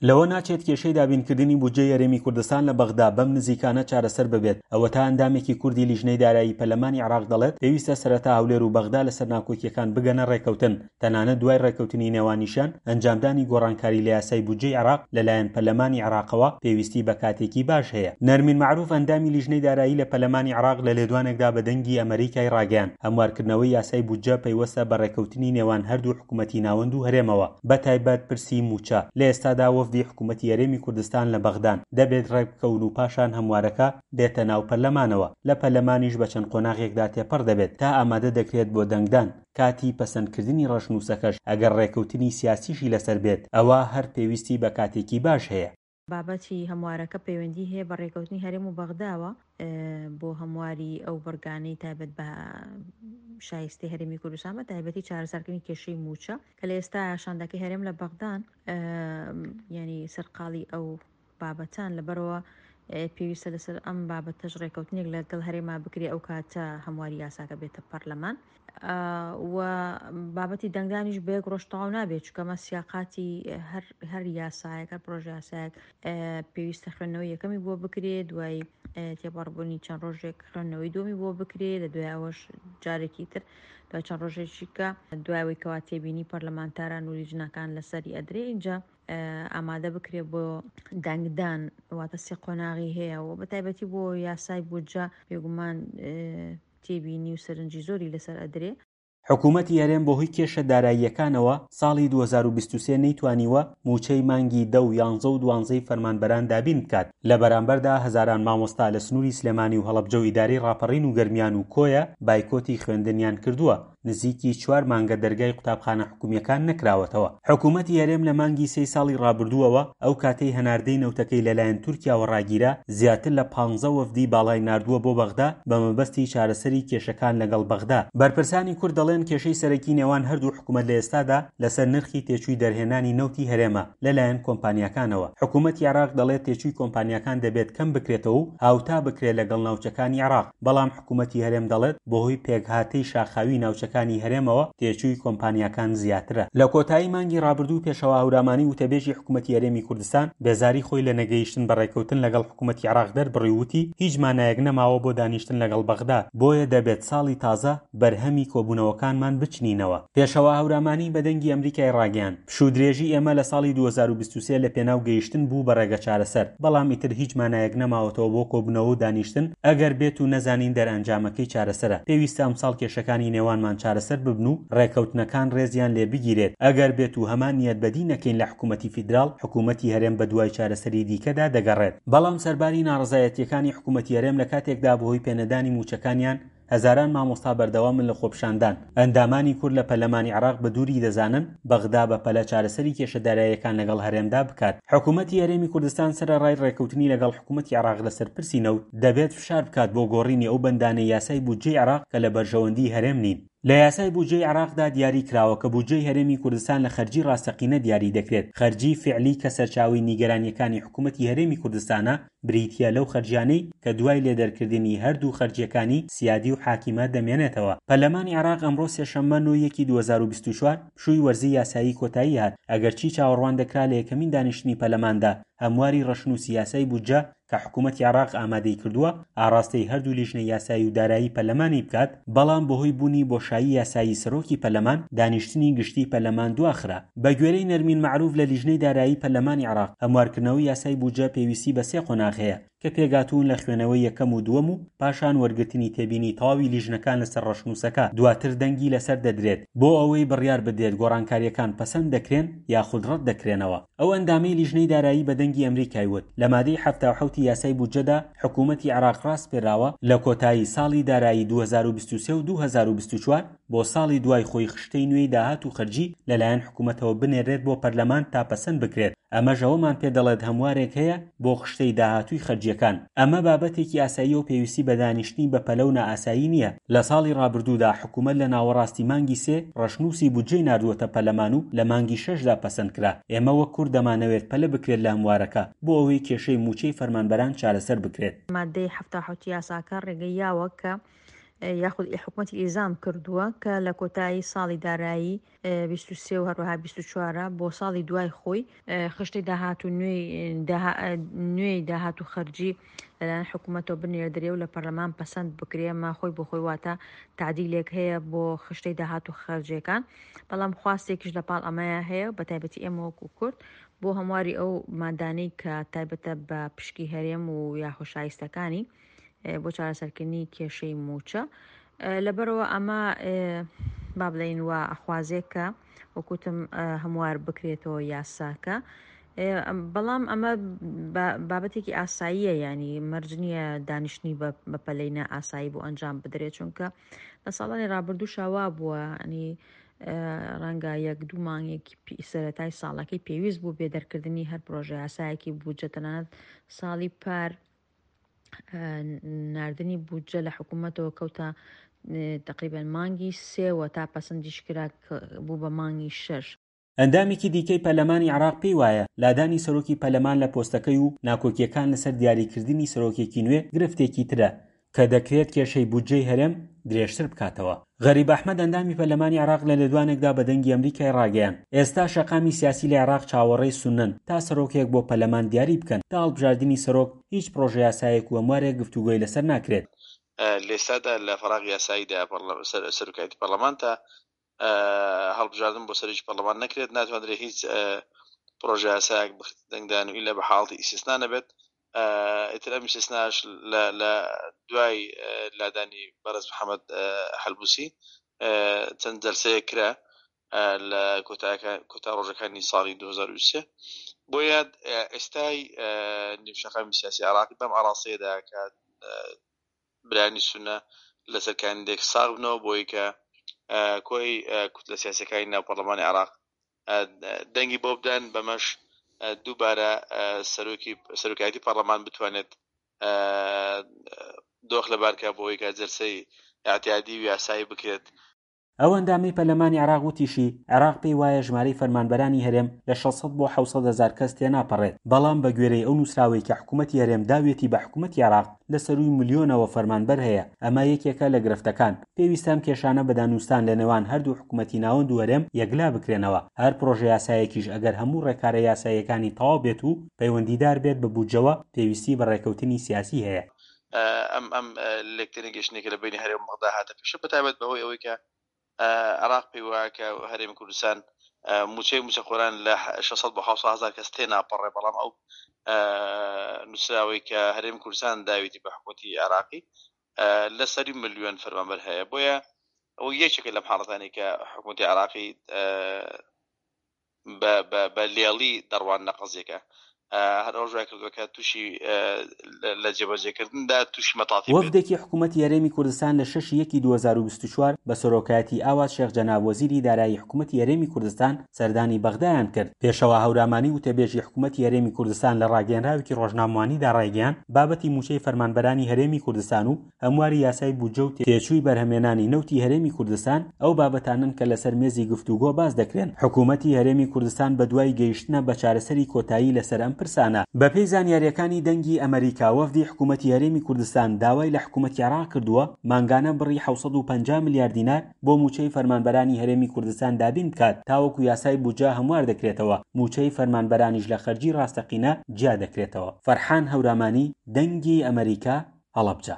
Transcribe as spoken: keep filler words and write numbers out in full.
لەوە ناچێت کێشەی دابینکردنی بودجەی هەرێمی کوردستان لە بەغدا بەم نزیکانە چارەسەر ببێت. ئەوەتا ئەندامێکی کوردی لیژنەی دارایی پەرلەمانی عێراق دەڵێت پێویستە سەرەتا هەولێر و بەغدا لەسەر ناکۆکیەکان بگەنە ڕێکەوتن، تەنانەت دوای ڕێکەوتنی نێوانیشیان ئەنجامدانی گۆڕانکاری لە یاسای بودجەی عێراق لەلایەن پەرلەمانی عێراقەوە پێویستی بە کاتێکی باش هەیە. نەرمین مەعروف ئەندامی لیژنەی دارایی لە پەرلەمانی عێراق لە لێدوانێکدا بە دەنگی ئەمەریکای ڕاگەیاند هەموارکردنەوەی یاسای بودجە پەیوەستە بە ڕێکەوتنی نێوان هەردوو حکوومەتی ناوەند و هەرێمەوە، بە تایبەت پرسی مووچە. لە ئێستادا وەفدی حکوومەتی هەرێمی کوردستان لە بەغدان، دەبێت ڕێکبکەون و پاشان هەموارەکە بێتە ناو پەرلەمانەوە، لە پەرلەمانیش بە چەند قۆناغێکدا تێپەڕ دەبێت تا ئامادە دەکرێت بۆ دەنگدان. کاتی پەسەندکردنی ڕەشنووسەکەش ئەگەر ڕێکەوتنی سیاسیشی لەسەر بێت ئەوا هەر پێویستی بە کاتێکی باش هەیە. بابەتی هەموارەکە پەیوەندی هەیە بە ڕێکەوتنی هەرێم و بەغداوە بۆ هەمواری ئەو بڕگانەی تایبەت بە شایستەی هەرێمی کوردستان، بە تایبەتی چارەسەرکردنی کێشەی مووچە کە لە ئێستا شاندەکەی هەرێم لە بەغدان ینی سەرقاڵی ئەو بابەتان، لەبەرەوە پێویستە لەسەر ئەم بابەتەش ڕێکەوتنێک لەگەڵ هەرێما بکرێ ئەو کاتە هەمواری یاساکە بێتە پەرلەمان. و بابەتی دەنگدانیش بە یەک ڕۆژ تەواو نابێت، چونکە سیاقاتی هەر هەر یاسایەک، هەر پرۆژە یاسایەک پێویستە خوێندنەوەی یەکەمی بۆ بکرێ، دوای تێپەڕبوونی چەند ڕۆژێک خوێندنەوەی دووەمی بۆ بکرێ، لە دوای ئەوەش جارێکی تر دوای چەند ڕۆژێکیکە دوای ئەوەی کەوا تێبینی پەرلەمانتاران و لیژنەکان لەسەری ئەدرێ اینجا ئامادە بکرێ بۆ دەنگدان. واتە سێ قۆناغی هەیە و بە تایبەتی بۆ یاسای بودجە بێگومان تێبینی و سەرنجی زۆری لەسەر ئەدرێ. حکوومەتی هەرێم بەهۆی کێشە داراییەکانەوە ساڵی دوو هەزار و بیست و سێ نەیتوانیوە مووچەی مانگی دە و یانزە و دوانزەی فەرمانبەران دابین بکات. لە بەرامبەردا هەزاران مامۆستا لە سنووری سلێمانی و هەڵەبجە و ئیدارەی ڕاپەڕین و گەرمیان و کۆیە بایکۆتی خوێندنیان کردووە. نزیکی چوار مانگە دەرگای قوتابخانە حکومیەکان نەکراوەتەوە. حکوومەتی هەرێم لە مانگی سێی ساڵی ڕابردووەوە ئەو کاتەی هەناردەی نەوتەکەی لەلایەن تورکیاوە ڕاگیرا زیاتر لە پانزە وەفدی باڵای ناردووە بۆ بەغدا بە مەبەستی چارەسەری کێشەکان لەگەڵ بەغدا. بەرپرسانی کورد دەڵێن کێشەی سەرەکی نێوان هەردوو حکوومەت لە ئێستادا لەسەر نرخی تێچووی دەرهێنانی نەوتی هەرێمە لەلایەن کۆمپانیاکانەوە. حکوومەتی عێراق دەڵێت تێچووی کۆمپانیاکان دەبێت کەم بکرێتەوە و هاوتا بکرێت لەگەڵ ناوچەکانی عێراق، بەڵام حکوومەتی هەرێم دەڵێت بەهۆی پێکهاتەی شاخاوی ناوچەکانی هەرێمەوە تێچووی کۆمپانیاکان زیاترە. لە کۆتایی مانگی ڕابردوو پێشەوا هەورامانی وتەبێژی حکوومەتی هەرێمی کوردستان بێزاری خۆی لە نەگەیشتن بە ڕێکەوتن لەگەڵ حکوومەتی عێراق دەربڕی وتی هیچ مانایەک نەماوە بۆ دانیشتن لەگەڵ بەغدا، بۆیە دەبێت ساڵی تازە بەرهەمی کۆبوونەوەکانمان بچنینەوە. پێشەوا هەورامانی بە دەنگی ئەمریکای ڕاگەیاند پشوو درێژی ئێمە لە ساڵی دوو هەزار و بیست و سێ لە پێناو گەیشتن بوو بە ڕێگە چارەسەر، بەڵام ئیتر هیچ مانایەک نەماوەتەوە بۆ کۆبوونەوە و دانیشتن ئەگەر بێت و نەزانین دەرئەنجامەکەی چارەسەرە. پێویستە ئەمساڵ کێشەکانی نێوانمان چارەسەر ببن و ڕێکەوتنەکان ڕێزیان لێ بگیرێت. ئەگەر بێت و هەمان نیەت بەدی نەکەین لە حکوومەتی فیدراڵ، حکوومەتی هەرێم بە دوای چارەسەری دیکەدا دەگەڕێت. بەڵام سەرباری ناڕەزایەتیەکانی حکوومەتی هەرێم لە کاتێکدا بەهۆی پێنەدانی مووچەکانیان هەزاران مامۆستا بەردەوامن لە خۆپیشاندان. ئەندامانی کورد لە پەرلەمانی عێراق بە دووری دەزانن بەغدا بە پەلە چارەسەری کێشە داراییەکان لەگەڵ هەرێمدا بکات. حکوومەتی هەرێمی کوردستان سەرەڕای ڕێکەوتنی لەگەڵ حکوومەتی عێراق لەسەر پرسی نەوت دەبێت فشار بکات بۆ گۆڕینی ئەو بەندانەی یاسای بودجەی عێراق کە لە بەرژەوەندی هەرێم نین. لە یاسای بودجەی عێراقدا دیاری کراوە کە بودجەی هەرێمی کوردستان لە خەرجی ڕاستەقینە دیاری دەکرێت. خەرجی فعلی کە سەرچاوەی نیگەرانیەکانی حکوومەتی هەرێمی کوردستانە بریتیە لەو خەرجیانەی کە دوای لێدەرکردنی هەردوو خەرجیەکانی سیادی و حاکیمە دەمێنێتەوە. پەرلەمانی عێراق ئەمڕۆ سێشەممە نۆ یەکی دوو هەزار و بیست و چوار پشووی وەرزی یاسایی کۆتایی هات، ئەگەرچی چاوەڕوان دەکرا لە یەکەمین دانیشتنی پەرلەماندا هەمواری ڕەشنووسی یاسای بودجە کە حکوومەتی عێراق ئامادەی کردووە ئاڕاستەی هەردوو لیژنە یاسایی و دارایی پەرلەمانی بکات، بەڵام بەهۆی بوونی بۆشایی یاسایی سەرۆکی پەرلەمان دانیشتنی گشتی پەرلەمان دواخرا. بە گوێرەی نەرمین مەعروف لە لیژنەی دارایی پەرلەمانی عێراق هەموارکردنەوەی یاسای بودجە پێویستی بە سێ قۆناغ هەیە کە پێگاتوون لە خوێنەوەی یەکەم و دووەم و پاشان وەرگرتنی تێبینی تەواوی لیژنەکان لەسەر ڕەشنووسەکە، دواتر دەنگی لەسەر دەدرێت بۆ ئەوەی بڕیار بدرێت گۆڕانکاریەکان پەسەند دەکرێن یاخود ڕەت دەکرێنەوە. ئەو ئەندامەی لیژنەی دارایی بە دەنگی ئەمریکای وت لە مادەی حەفتا و حەوتی یاسای بودجەدا حکوومەتی عێراق ڕاسپێراوە لە کۆتایی ساڵی دارایی دوو هەزار و بیست و سێ و دوو هەزار و بیست و چوار بۆ ساڵی دوای خۆی خشتەی نوێی داهات و خەرجی لەلایەن حکوومەتەوە بنێرێت بۆ پەرلەمان تا پەسەند بکرێت. ئەمەش ئەوەمان پێدەڵێت هەموارێک هەیە بۆ خشتەی داهاتووی خەرجیەکان. ئەمە بابەتێکی ئاسایی و پێویستی بە دانیشتنی بەپەلە و نائاسایی نییە. لە ساڵی ڕابردوودا حکوومەت لە ناوەڕاستی مانگی سێ ڕەشنووسی بودجەی ناردووەتە پەرلەمان و لە مانگی شەشدا پەسەند کرا. ئێمە وەک کورد دەمانەوێت پەلە بکرێت لە هەموارەکە بۆ ئەوەی کێشەی مووچەی فەرمانبەران چارەسەر بکرێت. مادەی حەفتا و حەوت یاساکە ڕێگەی یاوە کە یاخود حکومەتی ئیلزام کردووە کە لە کۆتایی ساڵی دارایی بیست و سێ و هەروەها بیست و چوار بۆ ساڵی دوای خۆی خشتەی داهات و نوێی داهات و خەرجی لەلایەن حکوومەتەوە بنێردرێ و لە پەرلەمان پەسەند بکرێ. ئەمە خۆی بۆ خۆی واتە تعدیلێک هەیە بۆ خشتەی داهات و خەرجیەکان، بەڵام خواستێکیش لە پاڵ ئەمەیە هەیە بە تایبەتی ئێمە وەکو کورد بۆ هەمواری ئەو مادانەی کە تایبەتە بە پشکی هەرێم و یاخۆ شایستەکانی بۆ چارەسەرکردنی کێشەی موچە. لەبەرەوە ئەمە با بڵێین وا ئەخوازێک کە وەکوتم هەموار بکرێتەوە یاساکە، بەڵام ئەمە بابەتێکی ئاساییە، ینی مەرج نییە دانیشتنی بە پەلەی نائاسایی بۆ ئەنجام بدرێت، چونکە لە ساڵانی ڕابردووشا وا بووە، ینی ڕەنگە یەک دوو مانگێکی سەرەتای ساڵەکەی پێویست بوو بێ دەرکردنی هەر پرۆژە یاسایەکی بودجە، تەنانەت ساڵی پار ناردنی بودجە لە حکوومەتەوە کەوتە تقریبا مانگی سێوە تا پەسەندیش کرا بوو بە مانگی شەش. ئەندامێکی دیکەی پەرلەمانی عێراق پێی وایە لادانی سەرۆکی پەرلەمان لە پۆستەکەی و ناکۆکیەکان لەسەر دیاریکردنی سەرۆکێکی نوێ گرفتێکی ترە کە دەکرێت کێشەی بودجەی هەرێم درێژتر بکاتەوە. غەریب ئەحمەد ئەندامی پەرلەمانی عێراق لە لێدوانێکدا بە دەنگی ئەمریکای ڕاگەیاند ئێستا شەقامی سیاسی لە عێراق چاوەڕێی سوننەن تا سەرۆکێک بۆ پەرلەمان دیاری بکەن، تا هەڵبژاردنی سەرۆک هیچ پرۆژە یاسایەک و هەموارێک گفتوگۆی لەسەر ناکرێت. لێستادا لە فەراغ یاساییدا سەرۆکایەتی پەرلەمان تا هەڵبژاردن بۆ سەرۆکی پەرلەمان نەکرێت، ناتوانرێت هیچ پرۆژە یاسایەک بخرێتە دەنگدان و ئیلا بە حاڵەتی ئیستیسنا نەبێت. ئیتر ئەم ئیستیسناش لە دوای لادانی بەڕێز محەممەد حەلبوسی چەند جەلسەیەک کرا لە کۆتا ڕۆژەکانی ساڵی دوو هەزار و سێ. بۆیە ئێستای نێو شەقامی سیاسی عێراقی بەم ئاراستەیەدا کە برانی سونە لەسەر کاندیدێک ساغ بنەوە بۆی کە کۆی کوتلە سیاسەکانی ناو پەرلەمانی عێراق دەنگی بۆ بدەن، بەمەش دووبارە سەرۆکی سەرۆکایەتی پەرلەمان بتوانێت دۆخ لەبارکە بۆی کە جەلسەی اعتیادی و یاسایی بکرێت. ئەو ئەندامەی پەرلەمانی عێراق وتیشی عێراق پێی وایە ژمارەی فەرمانبەرانی هەرێم لە شەش سەد بۆ حەوت سەد هەزار کەس تێناپەڕێت، بەڵام بە گوێرەی ئەو نووسراوەی کە حکوومەتی هەرێم داوێتی بە حکوومەتی عێراق لە سەرووی ملیۆنەوە فەرمانبەر هەیە. ئەمە یەکێکە لە گرفتەکان. پێویستە ئەم کێشانە بە دانوستان لە نێوان هەردوو حکوومەتی ناوەند و هەرێم یەکلا بکرێنەوە. هەر پرۆژە یاسایەکیش ئەگەر هەموو ڕێکارە یاساییەکانی تەواو بێت و پەیوەندیدار بێت بە بودجەوە پێویستی بە ڕێکەوتنی سیاسی هەیە. ئەم ئەم لێکتێنەگەیشتنێکە لە بینی هەرێم بەغدا هاتە پێشە، بە تایبەت بەهۆی ئەوەی کە عێراق پێی وایە کە هەرێمی کوردستان موچەی موچەخۆران لە شەش سەد بۆ حەوت سەد هەزار کەس تێناپەڕێ، بەڵام ئەو نووسراوەی کە هەرێمی کوردستان داویتی بە حکوومەتی عێراقی لە سەری ملیۆن فەرمانبەر هەیە. بۆیە ئەو یەکێکە لەم حاڵەتانی کە حکوومەتی عێراقی بە لێڵی دەڕوان لە قەزیەکە، هەر ئەو ژای کردووە کە تووشی لە جێبەجێکردندا تووشی مەتاتی بێت. وەفدێکی حکوومەتی هەرێمی کوردستان لە شەش یەکی دوو هەزار و بیست و چوار بە سەرۆکایەتی ئاوات شێخ جەناب وەزیری دارایی حکوومەتی هەرێمی کوردستان سەردانی بەغدایان کرد. پێشەوا هەورامانی وتەبێژی حکوومەتی هەرێمی کوردستان لە ڕاگەیەنراوێکی ڕۆژنامەوانیدا ڕایگەیاند بابەتی موچەی فەرمانبەرانی هەرێمی کوردستان و هەمواری یاسای بودجە و تێچووی بەرهەمێنانی نەوتی هەرێمی کوردستان ئەو بابەتانن کە لەسەر مێزی گفتوگۆ باس دەکرێن. حکوومەتی هەرێمی کوردستان بەدوای گەیشتنە بە چارەسەری کۆتایی لەسەر ئەم پرسانە. بەپێی زانیاریەکانی دەنگی ئەمریکا وەفدی حکوومەتی هەرێمی کوردستان داوای لە حکوومەتی عێراق کردووە مانگانە بڕی حەوت سەد و پەنجا ملیار دینار بۆ موچەی فەرمانبەرانی هەرێمی کوردستان دابین بکات تاوەکو یاسای بودجە هەموار دەکرێتەوە، موچەی فەرمانبەرانیش لە خەرجی ڕاستەقینە جیا دەکرێتەوە. فەرحان هەورامانی، دەنگی ئەمریکا، هەڵەبجە.